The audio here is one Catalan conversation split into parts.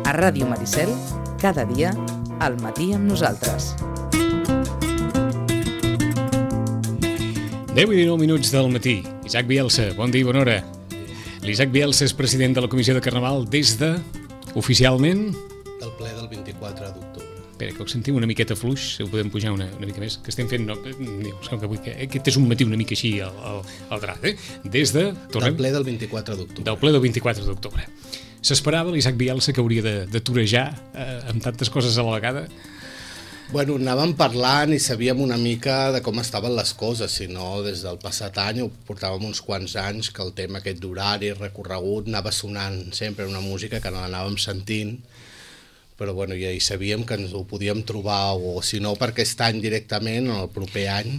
A Ràdio Maricel, cada dia, al matí amb nosaltres. 10:19 del matí. Isaac Bielsa, bon dia i bona hora. L'Isaac Bielsa és president de la Comissió de Carnaval des de, oficialment... del ple del 24 d'octubre. Espera, que ho sentim una miqueta fluix, si ho podem pujar una mica més, que estem fent... No, que aquest és un matí una mica així al drat, Des de... Del ple del 24 d'octubre. Del ple del 24 d'octubre. S'esperava l'Isaac Bielsa que hauria de torejar amb tantes coses a la vegada? Bueno, anàvem parlant i sabíem una mica de com estaven les coses, si no, des del passat any, portàvem uns quants anys que el tema aquest d'horari, recorregut, anava sonant sempre una música que no l'anàvem sentint, però bueno, ja hi sabíem que ens ho podíem trobar, o si no per aquest any directament, el proper any,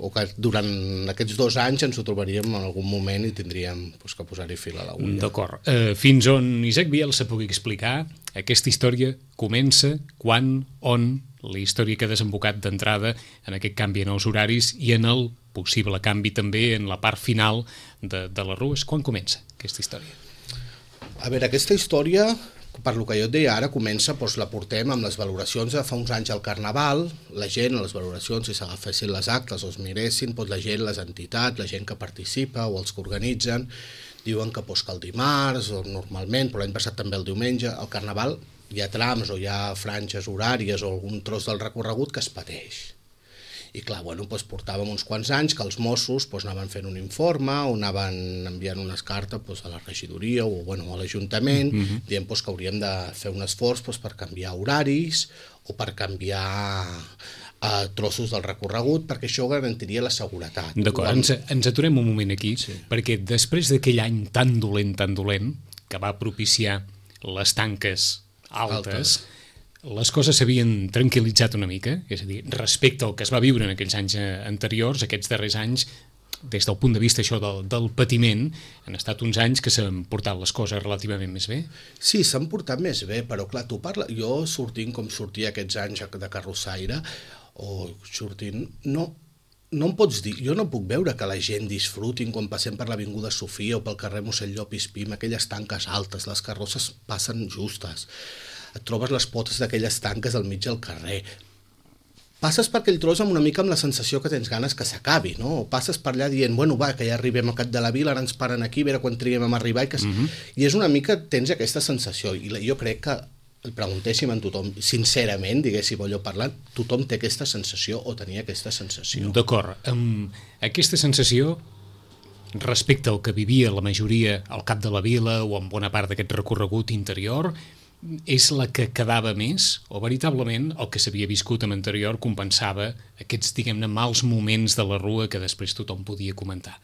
o que durant aquests 2 anys ens ho trobaríem en algun moment i tindríem que posar-hi fil a l'agulla. D'acord. Fins on Isaac Bielsa pugui explicar, aquesta història comença, quan, on, la història que ha desembocat d'entrada en aquest canvi en els horaris i en el possible canvi també en la part final de les rues. Quan comença aquesta història? A veure, aquesta història, per lo que jo et deia ara, comença, la portem amb les valoracions de fa uns anys al Carnaval, la gent, les valoracions, si s'agafessin les actes o es miressin, la gent, les entitats, la gent que participa o els que organitzen, diuen que el dimarts, o normalment, però l'any passat també el diumenge, al Carnaval hi ha trams o hi ha franges horàries o algun tros del recorregut que es pateix. I clar, portàvem uns quants anys que els Mossos anaven fent un informe o anaven enviant unes cartes a la regidoria o a l'Ajuntament dient que hauríem de fer un esforç per canviar horaris o per canviar trossos del recorregut, perquè això garantiria la seguretat. D'acord, ens aturem un moment aquí, perquè després d'aquell any tan dolent, que va propiciar les tanques altes, les coses s'havien tranquil·litzat una mica, és a dir, respecte al que es va viure en aquells anys anteriors, aquests darrers anys, des del punt de vista això del patiment, han estat uns anys que s'han portat les coses relativament més bé? Sí, s'han portat més bé, però clar, jo sortint com sortia aquests anys de carrossaire, o sortint, no em pots dir, jo no puc veure que la gent disfrutin quan passem per l'Avinguda Sofia o pel carrer Mossèn Llopis Pim, aquelles tanques altes, les carrosses passen justes, et trobes les potes d'aquelles tanques al mig del carrer, passes per aquell tros amb una mica amb la sensació que tens ganes que s'acabi, no? O passes per allà dient, que ja arribem al cap de la vila, ara ens paren aquí, a veure quan triguem a arribar, i és una mica, tens aquesta sensació, i jo crec que el preguntéssim a tothom, sincerament, diguéssim allò parlant, tothom té aquesta sensació o tenia aquesta sensació. D'acord, amb aquesta sensació respecte al que vivia la majoria al cap de la vila o en bona part d'aquest recorregut interior, és la que quedava més o veritablement el que s'havia viscut amb anterior compensava aquests, diguem-ne, mals moments de la rua que després tothom podia comentar?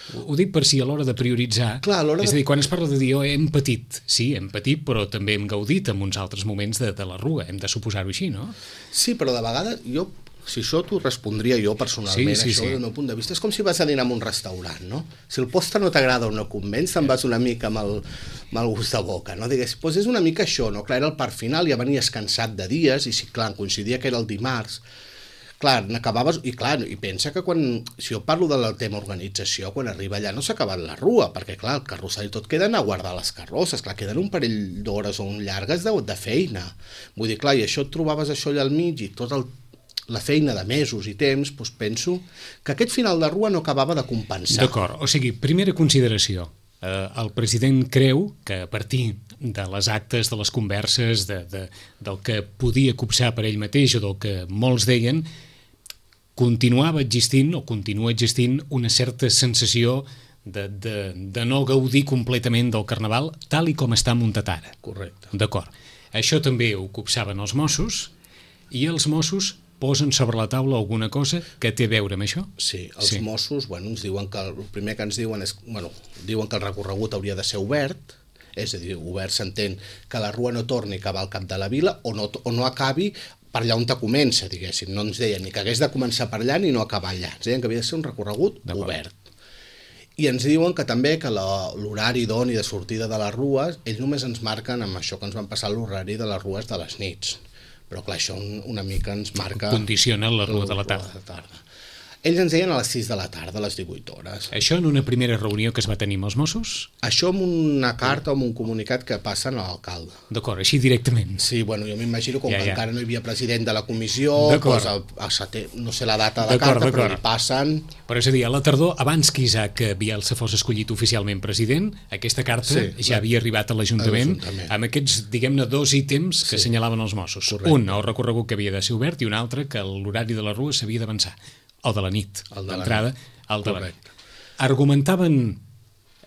Ho dic per si a l'hora de prioritzar, és a dir, quan es parla de dir hem patit, sí, hem patit, però també hem gaudit en uns altres moments de la rua, hem de suposar-ho així, no? Sí, però de vegades si això t'ho respondria jo personalment, això del meu punt de vista, és com si vas a dinar en un restaurant, no? Si el postre no t'agrada o no convenç, te'n vas una mica amb el gust de boca, no? Digues, és una mica això, no? Clar, era el part final, ja venies cansat de dies, i si, clar, coincidia que era el dimarts, clar, n'acabaves, i clar, i pensa que si jo parlo del tema organització, quan arriba allà no s'ha acabat la rua, perquè clar, el carrossari tot queden a guardar les carrosses, clar, queden un parell d'hores o un llargues de feina, vull dir, clar, i això et trobaves això allà al mig i tot la feina de mesos i temps, penso que aquest final de rua no acabava de compensar. D'acord, o sigui, primera consideració, el president creu que a partir de les actes, de les converses, del que podia copsar per ell mateix o del que molts deien, continuava existint o continua existint una certa sensació de no gaudir completament del Carnaval tal i com està muntat ara. Correcte. D'acord. Això també ho copsaven els Mossos i els Mossos posen sobre la taula alguna cosa que té a veure amb això? Sí, els Mossos ens diuen que el primer que ens diuen és diuen que el recorregut hauria de ser obert, és a dir, obert s'entén que la rua no torni a acabar al cap de la vila o no acabi per allà on comença, diguéssim. No ens deien ni que hagués de començar per allà ni no acabar allà. Ens deien que havia de ser un recorregut obert. I ens diuen que també que l'horari idoni de sortida de les rues, ells només ens marquen amb això que ens van passar l'horari de les rues de les nits. Però clar, això una mica ens marca... Condiciona la rua de la tarda. Ells ens deien a les 6 de la tarda, a les 18 hores. Això en una primera reunió que es va tenir amb els Mossos? Això amb una carta o amb un comunicat que passen a l'alcalde. D'acord, així directament. Sí, bueno, jo m'imagino com que encara no hi havia president de la comissió, doncs no sé la data de la carta, però li passen... Però és a dir, a la tardor, abans que Isaac Bielsa fos escollit oficialment president, aquesta carta ja havia arribat a l'Ajuntament amb aquests, diguem-ne, 2 ítems que assenyalaven els Mossos. Correcte. Un, el recorregut que havia de ser obert, i un altre, que l'horari de la rua s'havia d'avançar. El de la nit, l'entrada, el de la nit. Argumentaven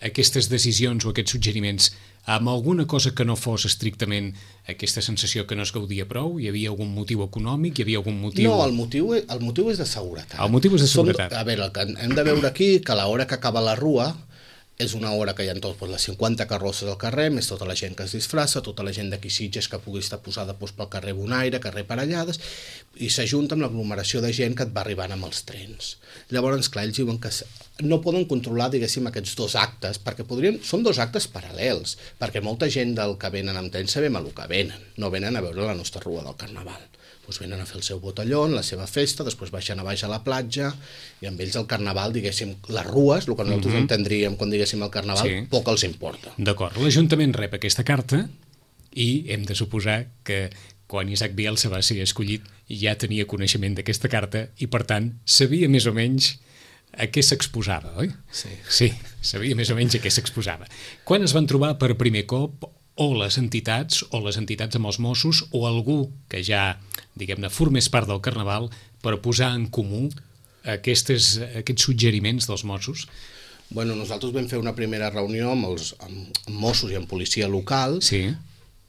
aquestes decisions o aquests suggeriments amb alguna cosa que no fos estrictament aquesta sensació que no es gaudia prou? Hi havia algun motiu econòmic? Hi havia algun motiu... No, el motiu és de seguretat. El motiu és de seguretat. A veure, hem de veure aquí que a l'hora que acaba la rua és una hora que hi ha tots les 50 carrosses al carrer, més tota la gent que es disfressa, tota la gent d'aquí Sitges que pugui estar posada pel carrer Bonaire, carrer Parellades, i s'ajunta amb l'aglomeració de gent que et va arribant amb els trens. Llavors, clar, ells diuen que no poden controlar, diguéssim, aquests 2 actes, perquè són 2 actes paral·lels, perquè molta gent del que venen amb tren sabem a lo que venen, no venen a veure la nostra rua del Carnaval. Doncs venen a fer el seu botellón, la seva festa, després baixen a baix a la platja, i amb ells el Carnaval, diguéssim, les rues, el que nosaltres entendríem quan diguéssim el Carnaval, poc els importa. D'acord, l'Ajuntament rep aquesta carta i hem de suposar que quan Isaac Bielsa va ser escollit ja tenia coneixement d'aquesta carta i, per tant, sabia més o menys a què s'exposava, oi? Sí, sabia més o menys a què s'exposava. Quan es van trobar per primer cop o les entitats amb els Mossos o algú que ja, diguem-ne, formés part del Carnaval per posar en comú aquests suggeriments dels Mossos? Bueno, nosaltres vam fer una primera reunió amb Mossos i amb policia local,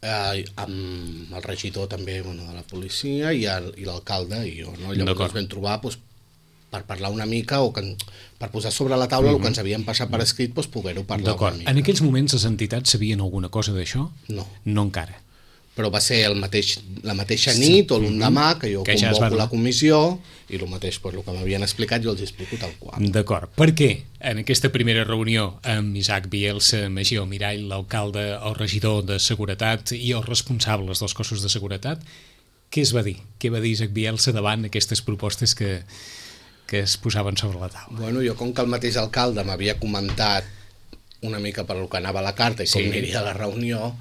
amb el regidor també de la policia i l'alcalde i jo, no? Llavors ens vam trobar per parlar una mica o per posar sobre la taula el que ens havien passat per escrit, poder-ho parlar una mica. En aquells moments les entitats sabien alguna cosa d'això? No. No encara. Però va ser la mateixa nit o l'endemà que jo convoco la comissió i el mateix, el que m'havien explicat jo els explico tal qual. D'acord. Per què en aquesta primera reunió amb Isaac Bielsa, Magí Almirall, l'alcalde, el regidor de Seguretat i els responsables dels cossos de seguretat, què es va dir? Què va dir Isaac Bielsa davant aquestes propostes que es posaven sobre la taula? Bueno, jo com que el mateix alcalde m'havia comentat una mica per el que anava la carta i com aniria la reunió,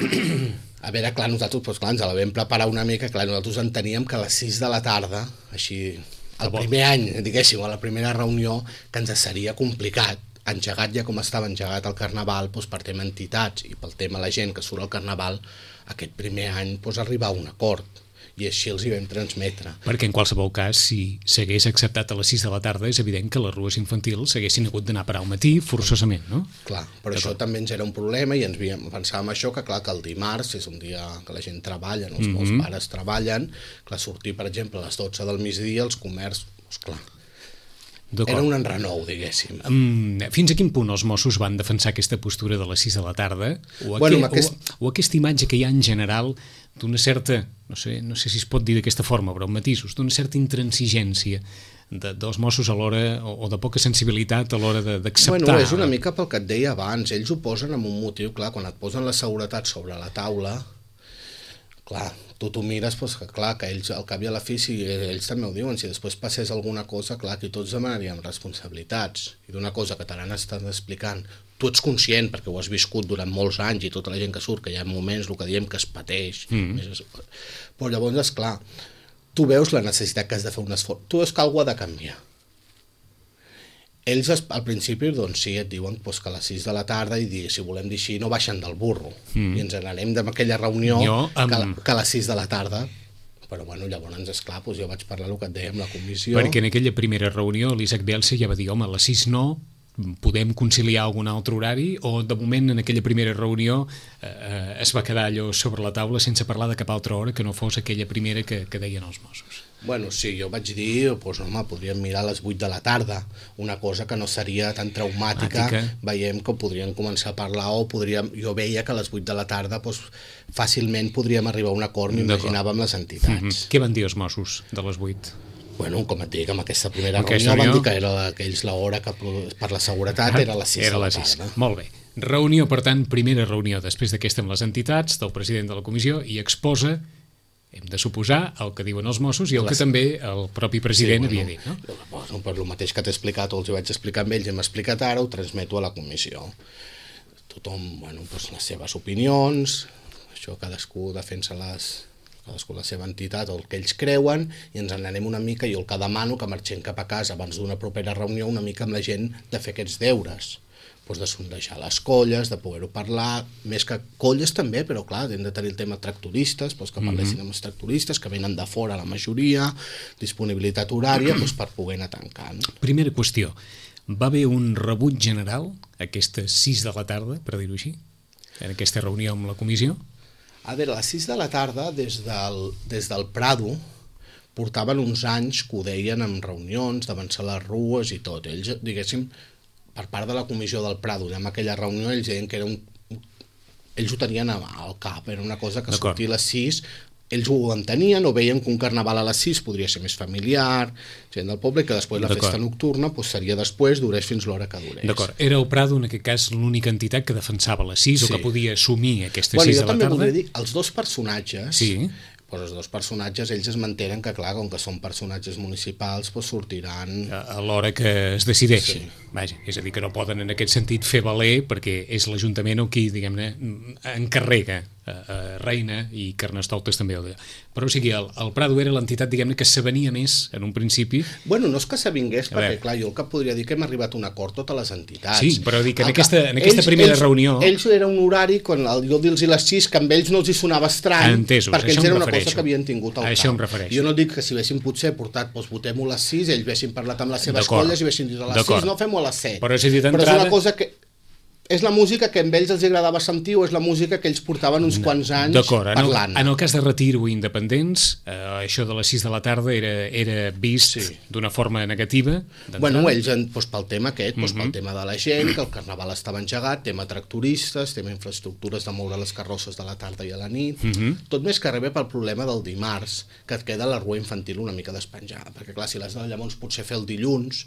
a veure, clar, nosaltres ens la vam preparar una mica, clar, nosaltres enteníem que a les 6 de la tarda, així, el primer any, diguéssim, a la primera reunió, que ens seria complicat, engegat ja com estava engegat el Carnaval, per tema entitats i pel tema la gent que surt al Carnaval, aquest primer any arribar a un acord. I així els hi vam transmetre. Perquè en qualsevol cas, si s'hagués acceptat a les 6 de la tarda, és evident que les rues infantils s'haguessin hagut d'anar a parar al matí, forçosament, no? Clar, però això també ens era un problema i ens pensàvem això, que clar, que el dimarts és un dia que la gent treballa, els meus pares treballen, clar, sortir, per exemple, a les 12 del migdia, els comerços, clar, era un enrenou, diguéssim. Fins a quin punt els Mossos van defensar aquesta postura de les 6 de la tarda? O aquesta imatge que hi ha en general d'una certa, no sé si es pot dir d'aquesta forma, però amb matisos, d'una certa intransigència dels Mossos a l'hora, o de poca sensibilitat a l'hora d'acceptar... Bueno, és una mica pel que et deia abans, ells ho posen amb un motiu, clar, quan et posen la seguretat sobre la taula, clar, tu t'ho mires, que clar, que ells al cap i a la fi, si ells també ho diuen, si després passés alguna cosa, clar, que tots demanaríem responsabilitats, i d'una cosa que te l'han estat explicant, tu ets conscient, perquè ho has viscut durant molts anys, i tota la gent que surt, que hi ha moments, el que diem que es pateix, però llavors, esclar, tu veus la necessitat que has de fer un esforç, tu veus que alguna ha de canviar. Ells al principi doncs sí, et diuen que a les 6 de la tarda i si volem dir així no baixen del burro i ens n'anem d'aquella reunió que a les 6 de la tarda, però bueno, llavors esclar, jo vaig parlar el que et deia amb la comissió. Perquè en aquella primera reunió l'Isaac Bielsa ja va dir, home, a les 6 no, podem conciliar algun altre horari, o de moment en aquella primera reunió es va quedar allò sobre la taula sense parlar de cap altra hora que no fos aquella primera que deien els Mossos? Bueno, sí, jo vaig dir, home, podríem mirar a les 8 de la tarda, una cosa que no seria tan traumàtica, veiem que podríem començar a parlar o jo veia que a les 8 de la tarda fàcilment podríem arribar a un acord, m'imaginava amb les entitats. Què van dir els Mossos de les 8? Bueno, com et dic, amb aquesta primera reunió van dir que era aquells l'hora que per la seguretat era a les 6 de la tarda. Molt bé. Reunió, per tant, primera reunió després d'aquesta amb les entitats, del president de la comissió, i exposa hem de suposar el que diuen els Mossos i el que també el propi president havia dit, no? Bueno, per el mateix que t'he explicat o els ho vaig explicar amb ells, hem explicat ara, ho transmeto a la comissió. Tothom, bueno, doncs les seves opinions, això cadascú defensa cadascú la seva entitat o el que ells creuen, i ens en anem una mica. Jo el que demano que marxem cap a casa abans d'una propera reunió una mica amb la gent de fer aquests deures, doncs de sondejar les colles, de poder-ho parlar, més que colles també, però clar, hem de tenir el tema tractoristes, doncs que parlessin amb els tractoristes, que venen de fora la majoria, disponibilitat horària, doncs per poder anar tancant. Primera qüestió, va haver un rebuig general aquestes 6 de la tarda, per dir-ho així, en aquesta reunió amb la comissió? A veure, a les 6 de la tarda, des del Prado, portaven uns anys que ho deien en reunions, d'avançar les rues i tot. Ells, diguéssim, per part de la comissió del Prado, en aquella reunió, ells deien que era ells ho tenien al cap, era una cosa que sortia a les 6, ells ho entenien o veien que un carnaval a les 6 podria ser més familiar, gent del poble, que després la festa nocturna seria després, durés fins l'hora que durés. D'acord, era el Prado en aquest cas l'única entitat que defensava les 6 o que podia assumir aquestes 6 de la tarda? Jo també voldria dir, els dos personatges, doncs els dos personatges, ells es mantenen que, clar, com que són personatges municipals, sortiran a l'hora que es decideixi. Vaja, és a dir, que no poden en aquest sentit fer valer, perquè és l'Ajuntament qui, diguem-ne, encarrega Reina i Carnestoltes també. Però o sigui, el Prado era l'entitat, diguem-ne, que s'avenia més en un principi. Bueno, no és que s'avingués, perquè clar, jo el que podria dir que hem arribat a un acord totes les entitats. Sí, però dic que en aquesta primera reunió... Ells era un horari, quan jo dir-los les 6, que amb ells no els hi sonava estrany, entesos, perquè ells era una cosa que havien tingut al cap. Això em refereixo. Jo no dic que si haguessin potser portat, doncs votem-ho a les 6, ells haguessin parlat amb les seves colles i haguessin dit a les 6, no fem-ho a les 7. Però és una cosa que... És la música que a ells els agradava sentir o és la música que ells portaven uns quants anys parlant? En el cas de Retir o Independents, això de les 6 de la tarda era vist d'una forma negativa? Bueno, ells, pel tema aquest, pel tema de la gent, que el carnaval estava engegat, tema tractoristes, tema infraestructures de moure les carrosses de la tarda i a la nit, tot més que rebé pel problema del dimarts, que et queda la rua infantil una mica despenjada, perquè clar, si l'has de llavors potser fer el dilluns,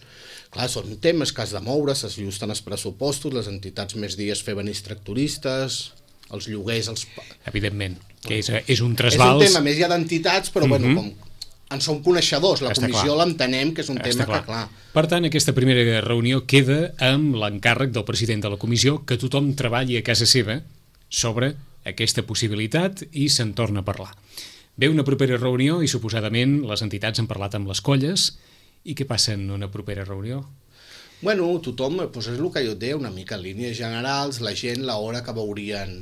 clar, són temes que has de moure, s'ajusten els pressupostos, les entitats més dies fer venir tractoristes, els lloguers... Evidentment, que és un trasbals... És un tema més ja d'entitats, però bueno, com en som coneixedors, la comissió l'entenem, que és un tema que clar... Per tant, aquesta primera reunió queda amb l'encàrrec del president de la comissió que tothom treballi a casa seva sobre aquesta possibilitat i se'n torna a parlar. Ve una propera reunió i suposadament les entitats han parlat amb les colles. I què passa en una propera reunió? Bueno, tothom, és el que jo et deia, una mica en línies generals, la gent, l'hora que veurien,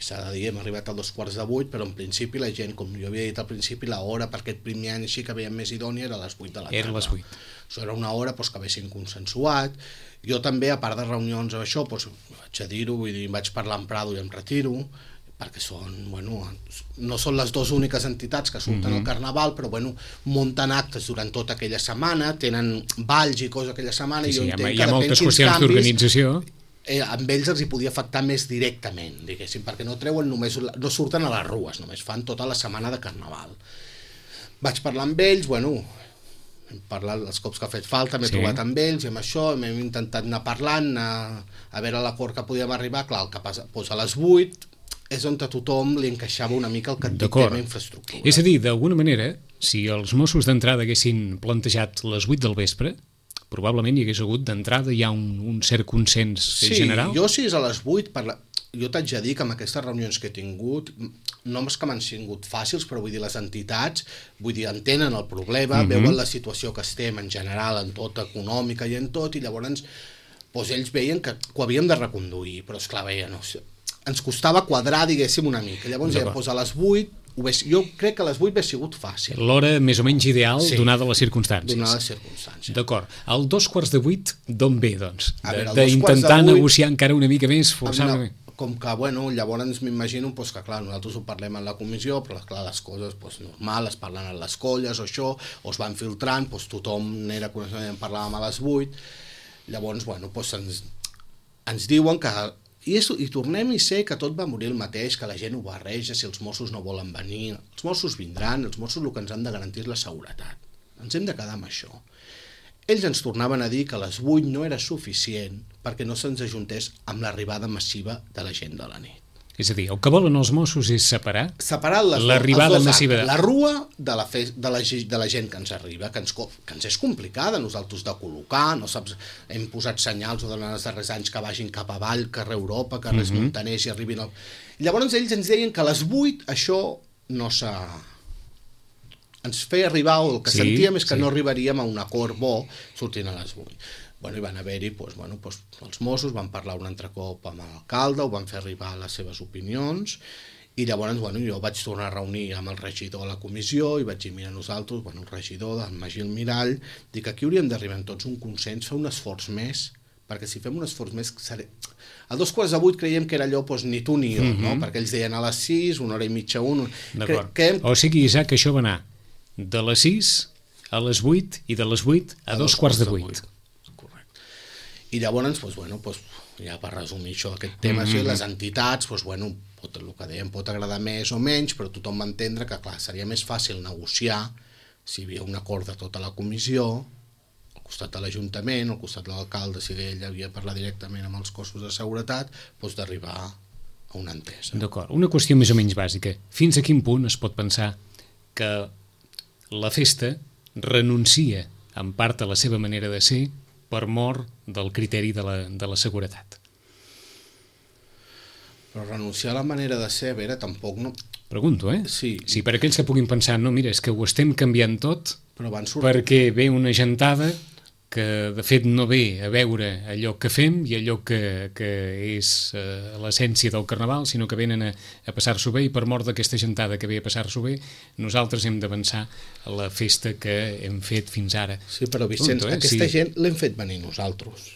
s'ha de dir, hem arribat a 7:45, però en principi la gent, com jo havia dit al principi, l'hora per aquest primer any així que veiem més idònia era a les 8 de la tarda. Era a les 8. Això era una hora que haguessin consensuat. Jo també, a part de reunions amb això, vaig a dir-ho, vull dir, vaig parlar amb Prado i em Retiro, perquè són, bueno, no són les dues úniques entitats que surten al Carnaval, però bueno, munten actes durant tota aquella setmana, tenen balls i coses aquella setmana, i jo entenc que hi ha moltes qüestions d'organització. Amb ells els hi podia afectar més directament, diguéssim, perquè no treuen només, no surten a les rues, només fan tota la setmana de Carnaval. Vaig parlar amb ells, bueno, hem parlat els cops que ha fet falta, m'he trobat amb ells i amb això, hem intentat anar parlant, a veure l'acord que podíem arribar, clar, el que passa, a les 8 és on a tothom li encaixava una mica el que et dic tema infraestructura. És a dir, d'alguna manera, si els Mossos d'entrada haguessin plantejat les 8 del vespre, probablement hi hagués hagut d'entrada ja un cert consens general? Sí, jo si és a les 8, jo t'haig de dir que amb aquestes reunions que he tingut, no és que m'han sigut fàcils, però vull dir, les entitats, vull dir, entenen el problema, veuen la situació que estem en general, en tot, econòmica i en tot, i llavors ells veien que ho havíem de reconduir, però esclar, veien, no sé, ens costava quadrar, diguéssim, una mica. Llavors, a les 8, jo crec que a les 8 hauria sigut fàcil. L'hora més o menys ideal, donada les circumstàncies. Donada les circumstàncies. D'acord. El 7:45, d'on ve, doncs? D'intentar negociar encara una mica més, forçadament. Com que, bueno, llavors m'imagino que, clar, nosaltres ho parlem en la comissió, però, clar, les coses, normal, es parlen a les colles o això, o es van filtrant, tothom n'era coneixement, parlàvem a les 8, llavors, bueno, ens diuen que i tornem i sé que tot va morir el mateix, que la gent ho barreja, si els Mossos no volen venir, els Mossos vindran, els Mossos el que ens han de garantir és la seguretat, ens hem de quedar amb això. Ells ens tornaven a dir que a les 8 no era suficient perquè no se'ns ajuntés amb l'arribada massiva de la gent de la nit. És a dir, el que volen els Mossos és separar l'arribada massiva la rua de la gent que ens arriba, que ens és complicada nosaltres de col·locar, no saps, hem posat senyals durant els darrers anys que vagin cap avall, carrer Europa, carrers Montaners i arribin al... Llavors ells ens deien que a les 8 això no s'ha... Ens feia arribar, o el que sentíem és que no arribaríem a un acord bo sortint a les 8. Bueno, i van haver-hi, els Mossos van parlar un altre cop amb l'alcalde, ho van fer arribar les seves opinions, i llavors jo vaig tornar a reunir amb el regidor de la comissió i vaig dir, mira, nosaltres, el regidor, el Magí Almirall, dic, aquí hauríem d'arribar en tots un consens, fer un esforç més, perquè si fem un esforç més... A 7:15 creiem que era allò, ni tu ni jo, no? Perquè ells deien a les 6, 1h30, 1... D'acord. O sigui, Isaac, això va anar de les 6 a les 8 i de les 8 a 7:15. I llavors, ja per resumir això, aquest tema, les entitats, el que dèiem pot agradar més o menys, però tothom va entendre que, clar, seria més fàcil negociar si hi havia un acord de tota la comissió, al costat de l'Ajuntament, al costat de l'alcalde, si ell havia de parlar directament amb els cossos de seguretat, d'arribar a una entesa. D'acord. Una qüestió més o menys bàsica. Fins a quin punt es pot pensar que la festa renuncia en part a la seva manera de ser per mort del criteri de la seguretat? Però renunciar a la manera de ser, a veure, tampoc no... Pregunto, Sí. Sí, per aquells que puguin pensar, no, mira, és que ho estem canviant tot perquè ve una gentada que de fet no ve a veure allò que fem i allò que és l'essència del Carnaval, sinó que venen a passar-s'ho bé, i per mort d'aquesta gentada que ve a passar-s'ho bé, nosaltres hem d'avançar a la festa que hem fet fins ara. Sí, però Vicenç, aquesta gent l'hem fet venir nosaltres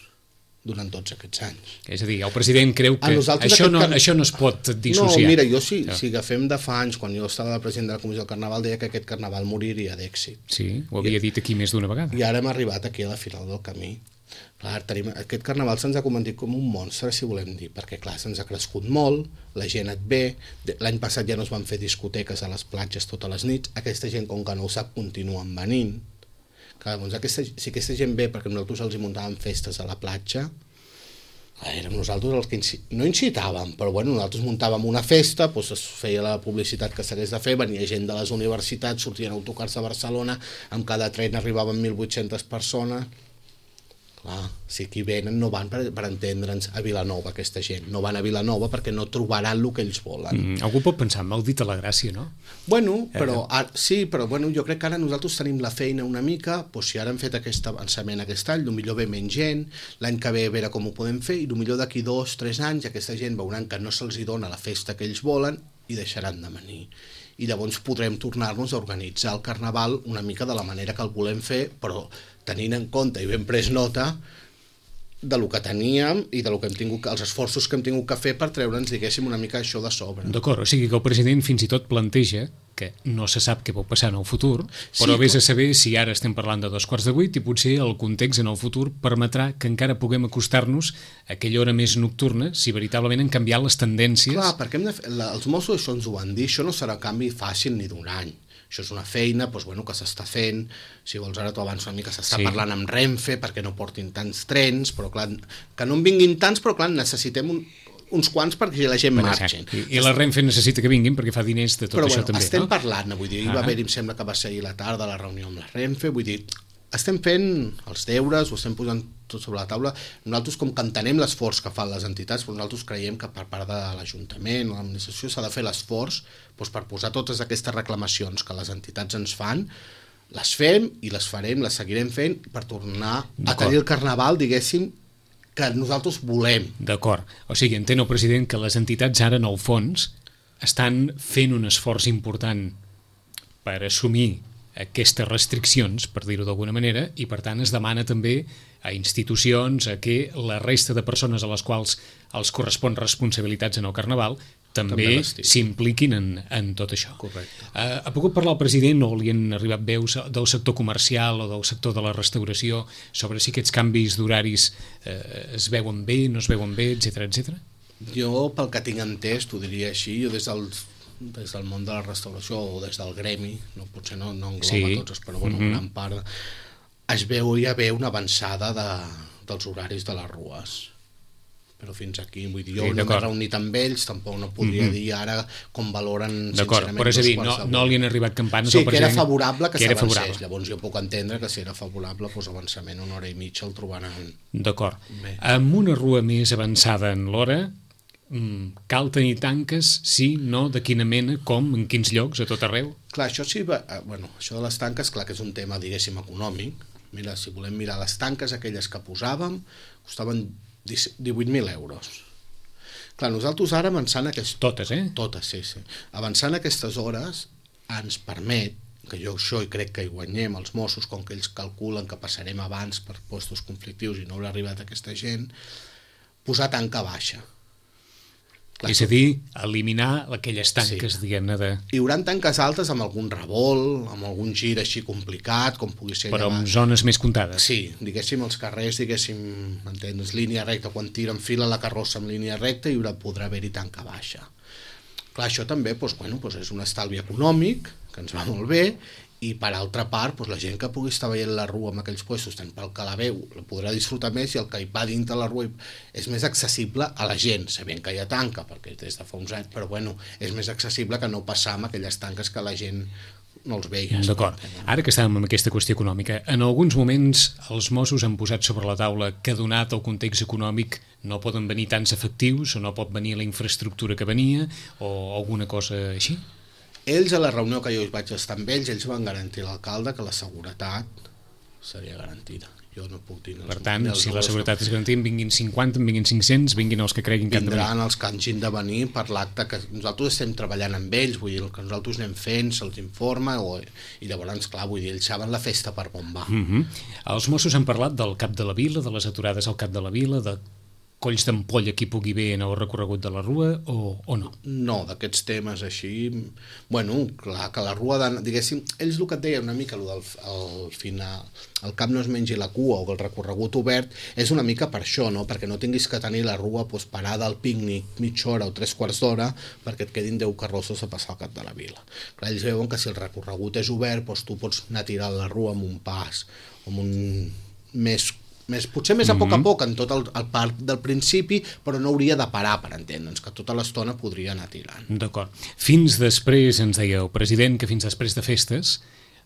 durant tots aquests anys. És a dir, el president creu que això no es pot dissociar. No, mira, jo si agafem de fa anys, quan jo estava de president de la Comissió del Carnaval, deia que aquest Carnaval moriria d'èxit. Sí, ho havia dit aquí més d'una vegada. I ara hem arribat aquí a la final del camí. Clar, aquest Carnaval se'ns ha convertit com un monstre, si volem dir, perquè clar, se'ns ha crescut molt, la gent et ve, l'any passat ja no es van fer discoteques a les platges totes les nits, aquesta gent, com que no ho sap, continuen venint. Clar, doncs si aquesta gent ve perquè nosaltres els hi muntàvem festes a la platja, érem nosaltres els que no incitàvem, però nosaltres muntàvem una festa, es feia la publicitat que s'hagués de fer, venia gent de les universitats, sortien autocars a Barcelona, amb cada tren arribaven 1.800 persones. Clar, si aquí venen no van per entendre'ns a Vilanova, aquesta gent, no van a Vilanova perquè no trobaran el que ells volen. Algú pot pensar, mal dit a la gràcia, no? Sí, però jo crec que ara nosaltres tenim la feina una mica, si ara hem fet aquest avançament aquest any, potser ve menys gent, l'any que ve a veure com ho podem fer, i potser d'aquí 2 o 3 anys aquesta gent veuran que no se'ls dona la festa que ells volen i deixaran de venir. I llavors podrem tornar-nos a organitzar el Carnaval una mica de la manera que el volem fer, però tenint en compte i ben pres nota de lo que teníem i de lo que hem tingut, els esforços que hem tingut que fer per treure'ns, diguéssim, una mica això de sobre. D'acord, o sigui que el president fins i tot planteja que no se sap què pot passar en el futur, però vés a saber si ara estem parlant de 7:15 i potser el context en el futur permetrà que encara puguem acostar-nos a aquella hora més nocturna si veritablement han canviat les tendències. Clar, perquè els Mossos això ens ho van dir, això no serà canvi fàcil ni d'un any. Això és una feina que s'està fent, si vols ara t'ho avanço una mica, s'està parlant amb Renfe perquè no portin tants trens, però clar, que no en vinguin tants, però clar, necessitem uns quants perquè la gent marxi. I la Renfe necessita que vinguin perquè fa diners de tot això també. Però estem parlant, vull dir, va haver-hi, em sembla que va ser ahir la tarda la reunió amb la Renfe, vull dir, estem fent els deures, ho estem posant tot sobre la taula. Nosaltres, com que entenem l'esforç que fan les entitats, però nosaltres creiem que per part de l'Ajuntament o l'administració s'ha de fer l'esforç per posar totes aquestes reclamacions que les entitats ens fan, les fem i les farem, les seguirem fent per tornar a tenir el Carnaval, diguéssim, que nosaltres volem. D'acord. O sigui, entén el president que les entitats ara, en el fons, estan fent un esforç important per assumir aquestes restriccions, per dir-ho d'alguna manera, i per tant es demana també a institucions, a que la resta de persones a les quals els correspon responsabilitats en el Carnaval també s'impliquin en tot això. Correcte. Ha pogut parlar el president o li han arribat veus del sector comercial o del sector de la restauració sobre si aquests canvis d'horaris es veuen bé, no es veuen bé, etcètera? Jo, pel que tinc entès, t'ho diria així, jo des del món de la restauració o des del gremi, potser no engloba tots, però gran part, es veu una avançada dels horaris de les rues. però fins aquí, vull dir, jo Sí, no m'he d'acord. reunit amb ells, tampoc no podria dir ara com valoren D'acord, sincerament però és a dir, dos quarts de no vuit. li han arribat campanes Sí, al que era president. favorable que era s'avancés, favorable. llavors jo puc entendre que si era favorable, doncs avançament una hora i mitja el trobaran. D'acord. Bé. Amb una rua més avançada en l'hora, cal tenir tanques, sí, no, de quina mena, com, en quins llocs, a tot arreu? Clar, això sí, bueno, això de les tanques, clar que és un tema, diguéssim, econòmic. Mira, si volem mirar les tanques, aquelles que posàvem, costaven 18.000 euros. Clar, nosaltres ara avançant Totes, eh? Totes, sí. Avançant aquestes hores ens permet, que jo això i crec que hi guanyem els Mossos, com que ells calculen que passarem abans per postos conflictius i no haurà arribat aquesta gent, posar tanca baixa. Clar, És a dir, eliminar aquelles tanques, Sí. diguem-ne, de... hi haurà tanques altes amb algun revolt, amb algun gir així complicat, com pugui ser però allà en zones més comptades. Sí, diguéssim, els carrers, diguéssim, m'entens, línia recta, quan tiren fila la carrossa en línia recta podrà haver-hi tanca baixa. Clar, això també és un estalvi econòmic, que ens va molt bé, i per altra part, la gent que pugui estar veient la rua en aquells puestos, tant pel que la veu, la podrà disfrutar més, i el que hi va dintre la rua és més accessible a la gent, sabent que hi ha tanca, perquè des de fa uns anys, però és més accessible que no passar amb aquelles tanques que la gent no els veia. D'acord. Ara que estàvem amb aquesta qüestió econòmica, en alguns moments els Mossos han posat sobre la taula que, donat el context econòmic, no poden venir tants efectius o no pot venir la infraestructura que venia o alguna cosa així? Ells, a la reunió que jo vaig estar amb ells van garantir a l'alcalde que la seguretat seria garantida. Jo no puc dir... Per tant, si la seguretat és garantida, vinguin 50, vinguin 500, vinguin els que creguin que han de venir. Vindran els que hagin de venir per l'acte, que nosaltres estem treballant amb ells, vull dir, el que nosaltres anem fent, se'ls informa, i llavors, clar, vull dir, ells saben la festa per on va. Els Mossos han parlat del Cap de la Vila, de les aturades al Cap de la Vila, de colls d'ampolla qui pugui bé en el recorregut de la rua, o no? No, d'aquests temes així... Bueno, clar, que la rua, diguéssim, ells el que et deien una mica, al final, el cap no es mengi la cua o el recorregut obert, és una mica per això, no? Perquè no tinguis que tenir la rua parada al pícnic mitja hora o 3/4 d'hora perquè et quedin 10 carrosses a passar al Cap de la Vila. Clar, ells veuen que si el recorregut és obert, tu pots anar tirant la rua amb un pas, amb un potser més a poc en tot el parc del principi, però no hauria de parar, per entendre'ns, que tota l'estona podria anar tirant. D'acord. Fins després, ens deia el president, que fins després de festes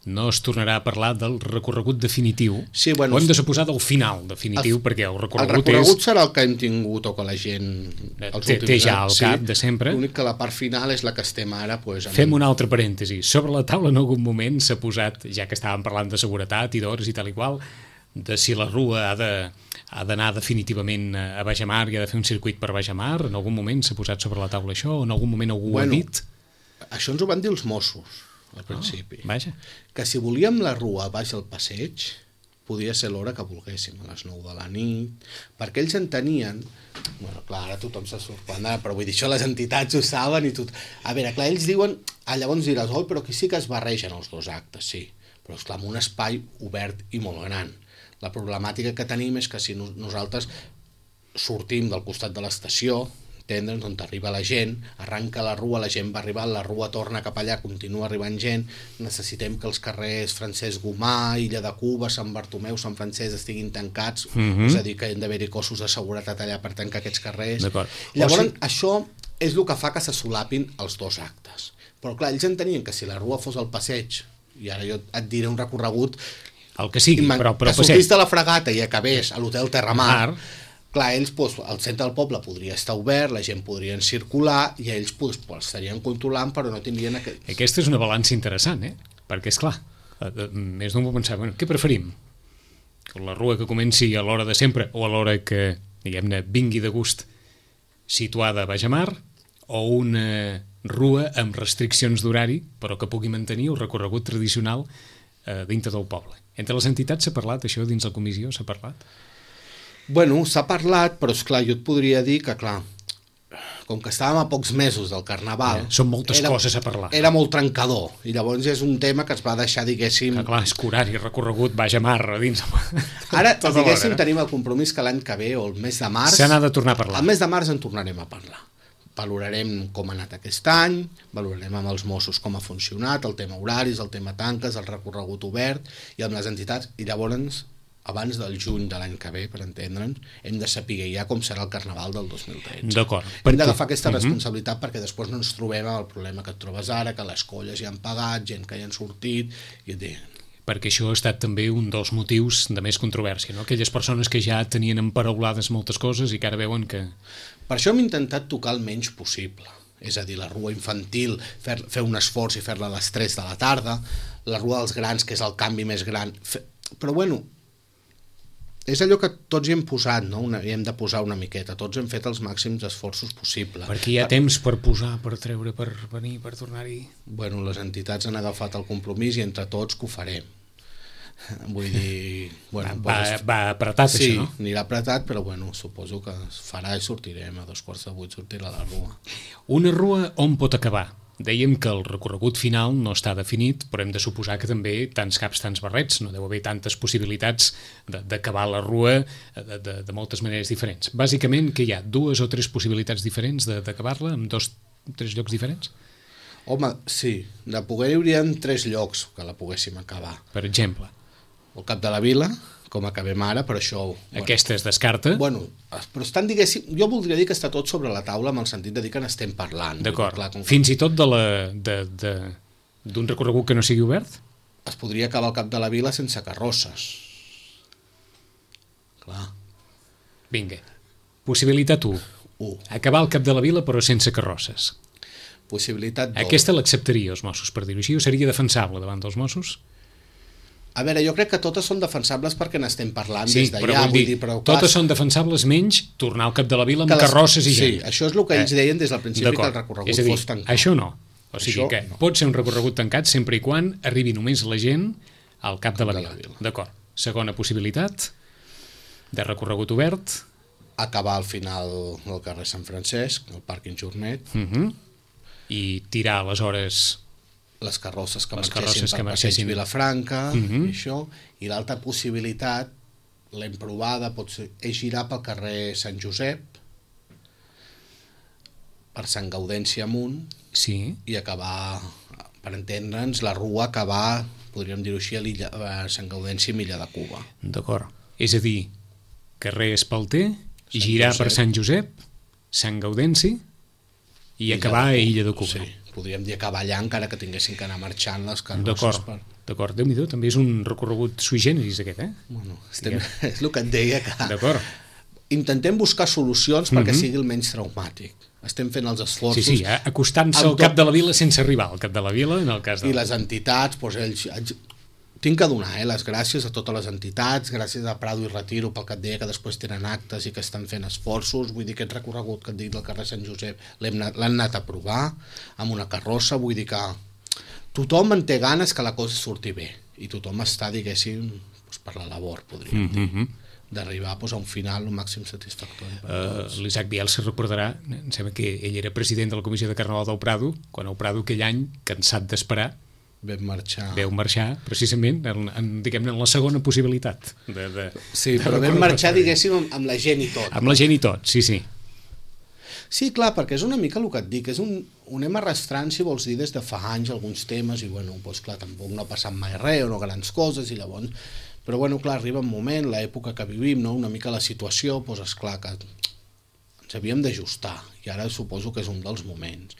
no es tornarà a parlar del recorregut definitiu. Sí, bueno, ho hem de suposar del final definitiu, perquè el recorregut serà el que hem tingut o que la gent... té ja al cap de sempre. L'únic que la part final és la que estem ara... Fem un altre parèntesi. Sobre la taula en algun moment s'ha posat, ja que estàvem parlant de seguretat i d'hores i tal i qual, de si la rua ha d'anar definitivament a Bajamar i ha de fer un circuit per Bajamar. En algun moment s'ha posat sobre la taula això o en algun moment algú ho ha dit? Això ens ho van dir els Mossos al principi. Vaja. Que si volíem la rua baix al passeig podia ser l'hora que volguéssim, a les 9 de la nit, perquè ells entenien... Bueno, clar, ara tothom se sorprendrà, però vull dir, això les entitats ho saben i tot... A veure, clar, ells diuen... Llavors diràs, però aquí sí que es barregen els dos actes, sí, però esclar, en un espai obert i molt gran. La problemàtica que tenim és que si nosaltres sortim del costat de l'estació, entendre'ns, on arriba la gent, arranca la rua, la gent va arribar, la rua torna cap allà, continua arribant gent, necessitem que els carrers Francesc Gomà, Illa de Cuba, Sant Bartomeu, Sant Francesc estiguin tancats, és a dir, que hi han d'haver-hi cossos de seguretat allà per tancar aquests carrers. Llavors, això és el que fa que se solapin els dos actes. Però clar, ells entenien que si la rua fos al passeig, i ara jo et diré un recorregut, el que sigui, però que sortís de la Fragata i acabés a l'hotel Terramar, clar, ells, el centre del poble podria estar obert, la gent podria circular i ells estarien controlant, però no tindrien... Aquesta és una balança interessant, perquè, esclar, més d'un pot pensar, què preferim? La rua que comenci a l'hora de sempre o a l'hora que, diguem-ne, vingui de gust situada a Bajamar, o una rua amb restriccions d'horari, però que pugui mantenir el recorregut tradicional dintre del poble. Entre les entitats s'ha parlat, això dins la comissió s'ha parlat? Bueno, s'ha parlat, però esclar, jo et podria dir que, clar, com que estàvem a pocs mesos del Carnaval... Són moltes coses a parlar. Era molt trencador, i llavors és un tema que es va deixar, diguéssim... Que clar, és que horari, recorregut, Bajamar, dins... Ara, diguéssim, tenim el compromís que l'any que ve, o el mes de març... Se n'ha de tornar a parlar. El mes de març en tornarem a parlar. Valorarem com ha anat aquest any, valorarem amb els Mossos com ha funcionat, el tema horaris, el tema tanques, el recorregut obert, i amb les entitats, i llavors abans del juny de l'any que ve, per entendre'ns, hem de saber ja com serà el Carnaval del 2013. D'acord. Hem d'agafar aquesta responsabilitat perquè després no ens trobem amb el problema que et trobes ara, que les colles ja han pagat, gent que ja han sortit, i et diuen... Perquè això ha estat també un dels motius de més controvèrsia, no? Aquelles persones que ja tenien emparaulades moltes coses i que ara veuen que... Per això hem intentat tocar el menys possible. És a dir, la rua infantil, fer un esforç i fer-la a les 3 de la tarda, la rua dels grans, que és el canvi més gran... Però bueno, és allò que tots hi hem posat, no? Hi hem de posar una miqueta, tots hem fet els màxims esforços possibles. Perquè hi ha temps per posar, per treure, per venir, per tornar-hi... Bueno, les entitats han agafat el compromís i entre tots que ho farem. Vull dir... Bueno, va apretat, sí, això, no? Sí, anirà apretat, però bueno, suposo que es farà i sortirem, a 7:45 sortirà la rua. Una rua on pot acabar? Dèiem que el recorregut final no està definit, però hem de suposar que també tants caps, tants barrets, no deu haver tantes possibilitats d'acabar la rua de moltes maneres diferents. Bàsicament, que hi ha 2 o 3 possibilitats diferents d'acabar-la, en 2 o 3 llocs diferents? Home, sí, de poder hi haurien 3 llocs que la poguéssim acabar. Per exemple? El Cap de la Vila, com acabem ara, però això... Bueno, aquesta es descarta? Bueno, però estan, diguéssim, jo voldria dir que està tot sobre la taula amb el sentit de dir que n'estem parlant. D'acord. Fins i tot d'un recorregut que no sigui obert? Es podria acabar el Cap de la Vila sense carrosses. Clar. Vinga. Possibilitat 1. Acabar el Cap de la Vila però sense carrosses. Possibilitat 2. Aquesta l'acceptaria els Mossos, per dir-ho així, o seria defensable davant dels Mossos? A veure, jo crec que totes són defensables perquè n'estem parlant des d'allà. Però totes són defensables menys tornar al Cap de la Vila amb carrosses i gent. Sí, això és el que ells deien des del principi, que el recorregut fos tancat. Això no. O sigui que pot ser un recorregut tancat sempre i quan arribi només la gent al Cap de la Vila. D'acord. Segona possibilitat de recorregut obert. Acabar al final del carrer Sant Francesc, el pàrquing Jornet. I tirar aleshores... les carrosses que marxessin per Passeig Vilafranca, i això, i l'altra possibilitat, l'hem provada, és girar pel carrer Sant Josep, per Sant Gaudenci amunt, i acabar, per entendre'ns, la rua acabar, podríem dir-ho així, a Sant Gaudenci i Illa de Cuba. D'acord. És a dir, carrer Espalter, girar per Sant Josep, Sant Gaudenci, i acabar a Illa de Cuba. Sí. Podríem dir acabar allà encara que tinguessin que anar marxant les carrosses. D'acord, Déu-n'hi-do, també és un recorregut sui generis aquest, Bueno, és el que et deia, que intentem buscar solucions perquè sigui el menys traumàtic. Estem fent els esforços... Sí, acostant-se al Cap de la Vila sense arribar al Cap de la Vila, en el cas de... I les entitats, ells... Tinc que donar les gràcies a totes les entitats, gràcies a Prado i Retiro pel que et deia que després tenen actes i que estan fent esforços. Vull dir, aquest recorregut que et dic del carrer Sant Josep l'han anat a provar amb una carrossa. Vull dir que tothom en té ganes que la cosa surti bé i tothom està, diguéssim, per la labor, podríem dir, d'arribar a un final el màxim satisfactori. L'Isaac Bielsa recordarà, em sembla que ell era president de la Comissió de Carnaval del Prado, quan el Prado aquell any, cansat d'esperar, veu marxar precisament diguem-ne en la segona possibilitat sí, però vam marxar, diguéssim, amb la gent i tot. Amb la gent i tot, sí. Sí, clar, perquè és una mica el que et dic, ho anem arrastrant, si vols dir, des de fa anys alguns temes, i bueno, doncs clar, tampoc no ha passat mai res, o no grans coses, i llavors... Però bueno, clar, arriba un moment, l'època que vivim, no? Una mica la situació, doncs esclar que ens havíem d'ajustar, i ara suposo que és un dels moments.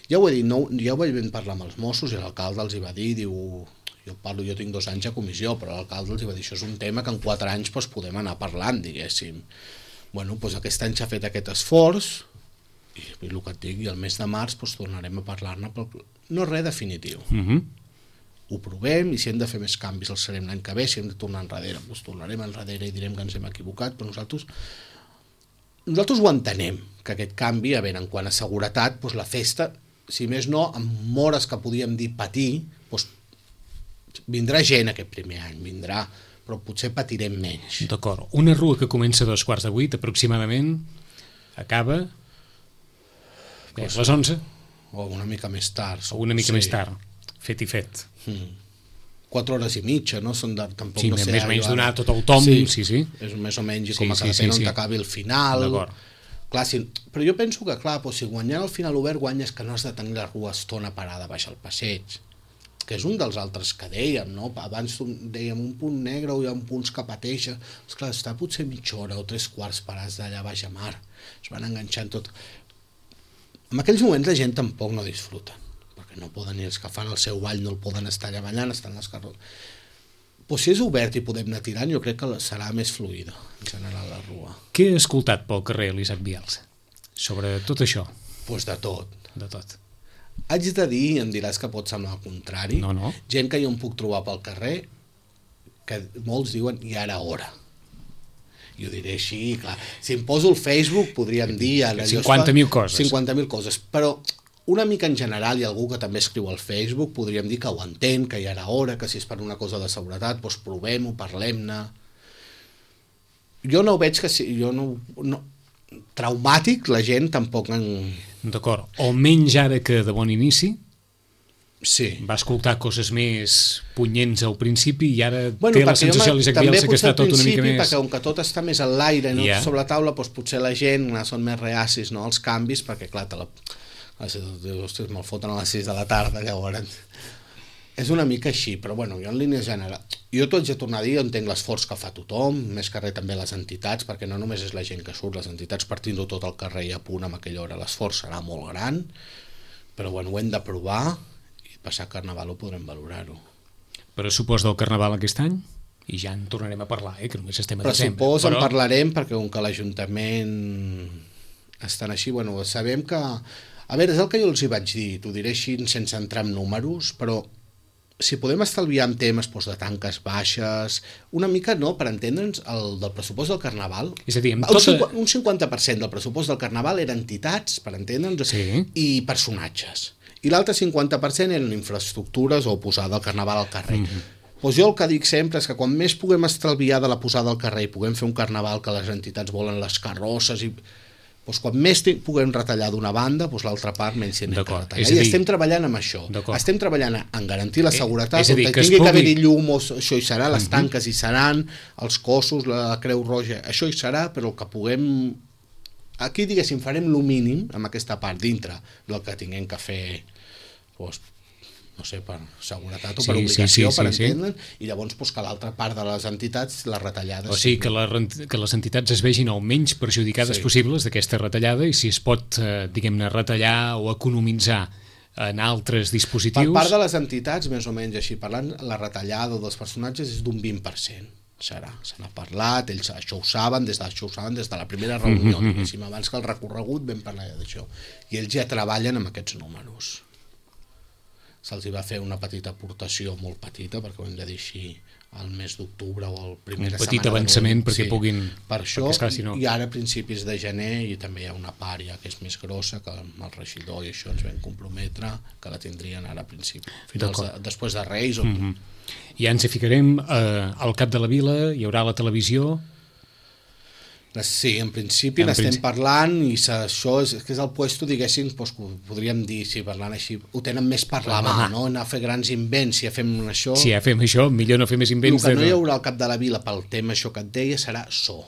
Ja ho he dit, ja ho vaig parlar amb els Mossos, i l'alcalde els hi va dir, diu, jo tinc 2 anys a comissió, però l'alcalde els hi va dir, això és un tema que en 4 anys podem anar parlant, diguéssim. Bueno, doncs aquest any s'ha fet aquest esforç, i el que et dic, i el mes de març tornarem a parlar-ne, no res definitiu. Ho provem, i si hem de fer més canvis els farem l'any que ve, si hem de tornar enrere, doncs tornarem enrere i direm que ens hem equivocat, però nosaltres ho entenem, que aquest canvi, a veure, en quant a seguretat, la festa, si més no, amb hores que podíem dir patir, vindrà gent aquest primer any, vindrà, però potser patirem menys. D'acord. Una rua que comença a 7:15 aproximadament, acaba a les 11? O una mica més tard. O una mica més tard, fet i fet. 4 hores i mitja, no? Tampoc sí, no sé, més o menys donar tot el tom. Sí. És més o menys com a cada pena on t'acabi el final. D'acord. Clar, però jo penso que, clar, si guanyant el final obert guanyes que no has de tenir la rua estona parada baix al passeig, que és un dels altres que dèiem, no? Abans dèiem un punt negre o hi ha punts que pateixen. Esclar, està potser mitja hora o 3/4 parats d'allà baix a mar. Es van enganxant tot. En aquells moments la gent tampoc no disfruta, perquè no poden, ni els que fan el seu ball no el poden estar allà ballant, estan les carrosses. Però si és obert i podem anar tirant, jo crec que serà més fluida, en general, la rua. Què ha escoltat pel carrer l'Isaac Vials sobre tot això? Doncs de tot. De tot. Haig de dir, em diràs que pot semblar el contrari, No. gent que jo em puc trobar pel carrer, que molts diuen, i ara hora. Jo diré així, clar. Si em poso al Facebook podríem dir... 50.000 coses. 50.000 coses, però una mica en general, i algú que també escriu al Facebook, podríem dir que ho entén, que ja era hora, que si és per una cosa de seguretat, doncs provem-ho, parlem-ne. Jo no veig que... Jo no, traumàtic, la gent tampoc en... D'acord. O menys ara que de bon inici, Sí. va escoltar coses més punyents al principi i ara Bueno, té la sensació l'Isaac Bielsa que està tot una mica més... Perquè com que tot està més en l'aire, no Ja. sobre la taula, doncs potser la gent són més reacis, no, als canvis, perquè clar, ostres, me'l foten a les 6 de la tarda, llavors... És una mica així, però bueno, jo en línies generals... Jo t'ho haig de tornar a dir, jo entenc l'esforç que fa tothom, més que res també les entitats, perquè no només és la gent que surt, les entitats partint-ho tot al carrer i a punt amb aquella hora, l'esforç serà molt gran, però bueno, ho hem de provar, i passar Carnaval ho podrem valorar-ho. Pressupost del Carnaval aquest any? I ja en tornarem a parlar, que només estem a desembre. Pressupost en parlarem, perquè com que l'Ajuntament estan així, bueno, sabem que... A veure, és el que jo els hi vaig dir, t'ho diré així sense entrar en números, però si podem estalviar en temes de tanques baixes, una mica, no, per entendre'ns, el del pressupost del Carnaval, És a dir, amb un 50% del pressupost del Carnaval eren entitats, per entendre'ns, Sí. i personatges. I l'altre 50% eren infraestructures o posada del Carnaval al carrer. Doncs jo el que dic sempre és que quan més puguem estalviar de la posada al carrer i puguem fer un Carnaval que les entitats volen les carrosses i... Doncs quan més puguem retallar d'una banda, doncs l'altra part menys s'hi ha de retallar. I estem treballant amb això. Estem treballant en garantir la seguretat, on tingui que haver-hi llum, això hi serà, les tanques hi seran, els cossos, la Creu Roja, això hi serà, però el que puguem... Aquí, diguéssim, farem el mínim amb aquesta part dintre del que tinguem que fer, doncs, no sé, per seguretat o per obligació, per entendre'n, i llavors que l'altra part de les entitats, les retallades... O sigui, que les entitats es vegin el menys perjudicades possibles d'aquesta retallada i si es pot, diguem-ne, retallar o economitzar en altres dispositius... Per part de les entitats, més o menys així parlant, la retallada dels personatges és d'un 20%. Se n'ha parlat, ells això ho saben des de la primera reunió, diguéssim, abans que el recorregut vam parlar d'això, i ells ja treballen amb aquests números. Se'ls va fer una petita aportació, molt petita, perquè ho hem de dir així, al mes d'octubre o al primera setmana. Un petit avançament perquè puguin... Per això, i ara a principis de gener, i també hi ha una part ja que és més grossa, que amb el regidor i això ens vam comprometre, que la tindrien ara a principi, després de Reis o... Ja ens hi ficarem al cap de la vila, hi haurà la televisió... Sí, en principi n'estem parlant i això és que és el puesto, diguéssim, podríem dir, si parlant així, ho tenen més per la mà, no? Anar a fer grans invents, si ja fem això... Si ja fem això, millor no fer més invents... El que no hi haurà al cap de la vila pel tema això que et deia serà so.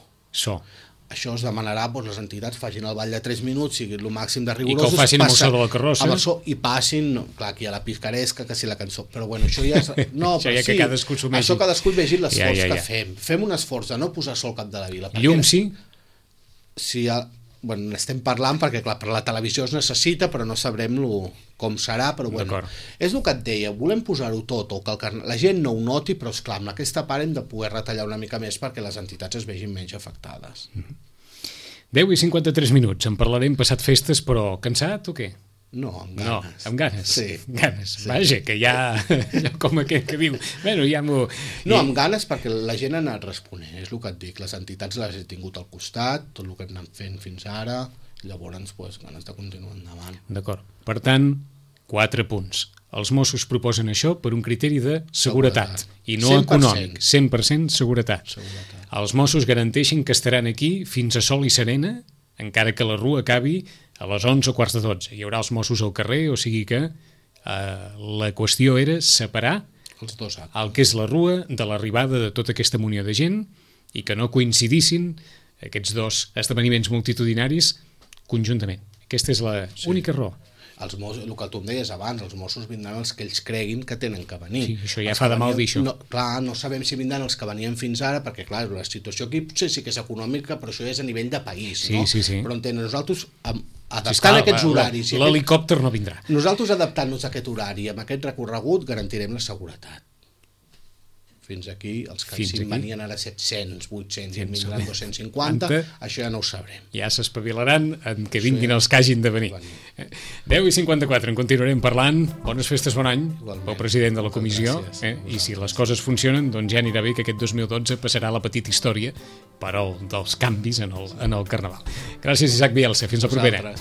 Això es demanarà, les entitats facin el ball de 3 minuts, sigui el màxim de rigorosos... I que ho facin amb el so de la carrossa. Amb el so, i passin, clar, aquí hi ha la picaresca, que si la cançó... Però bueno, això ja és... No, això ja que cadascú assumeixi. Això cadascú vegi l'esforç que fem. Fem un esforç de no posar sol al cap de la vila. Llum, sí? Sí, bueno, n'estem parlant perquè, clar, per la televisió es necessita, però no sabrem com serà, però bueno, és el que et deia, volem posar-ho tot, o que la gent no ho noti, però esclar, amb aquesta part hem de poder retallar una mica més perquè les entitats es vegin menys afectades. 10:53 minuts, en parlarem passat festes, però cansat o què? No, amb ganes. No, amb ganes? Sí. Ganes, sí. Vaja, que ja com aquest que diu, bueno, ja m'ho... No, amb ganes perquè la gent ha anat responent, és el que et dic, les entitats les he tingut al costat, tot el que hem anat fent fins ara, llavors, ganes de continuar endavant. D'acord, per tant, 4 punts. Els Mossos proposen això per un criteri de seguretat i no 100%. Econòmic, 100% seguretat. Els Mossos garanteixen que estaran aquí fins a sol i serena, encara que la rua acabi a les 11:15. Hi haurà els Mossos al carrer, o sigui que la qüestió era separar els dos actes, el que és la rua de l'arribada de tota aquesta munió de gent i que no coincidissin aquests dos esdeveniments multitudinaris conjuntament. Aquesta és l'única raó. el que tu em deies abans, els Mossos vindran els que ells creguin que tenen que venir. Sí, això ja fa de mal dir això. Clar, no sabem si vindran els que venien fins ara, perquè clar, la situació aquí potser sí que és econòmica, però això és a nivell de país, no? Sí. Però nosaltres, adaptant aquests horaris... L'helicòpter no vindrà. Nosaltres, adaptant-nos a aquest horari, amb aquest recorregut, garantirem la seguretat. Fins aquí, els que venien ara 700, 800 i en vindran 250, això ja no ho sabrem. Ja s'espavilaran en què vinguin els que hagin de venir. 10:54, en continuarem parlant. Bones festes, bon any, pel president de la comissió. I si les coses funcionen, doncs ja anirà bé que aquest 2012 passarà la petita història, però dels canvis en el Carnaval. Gràcies, Isaac Bielsa. Fins la propera.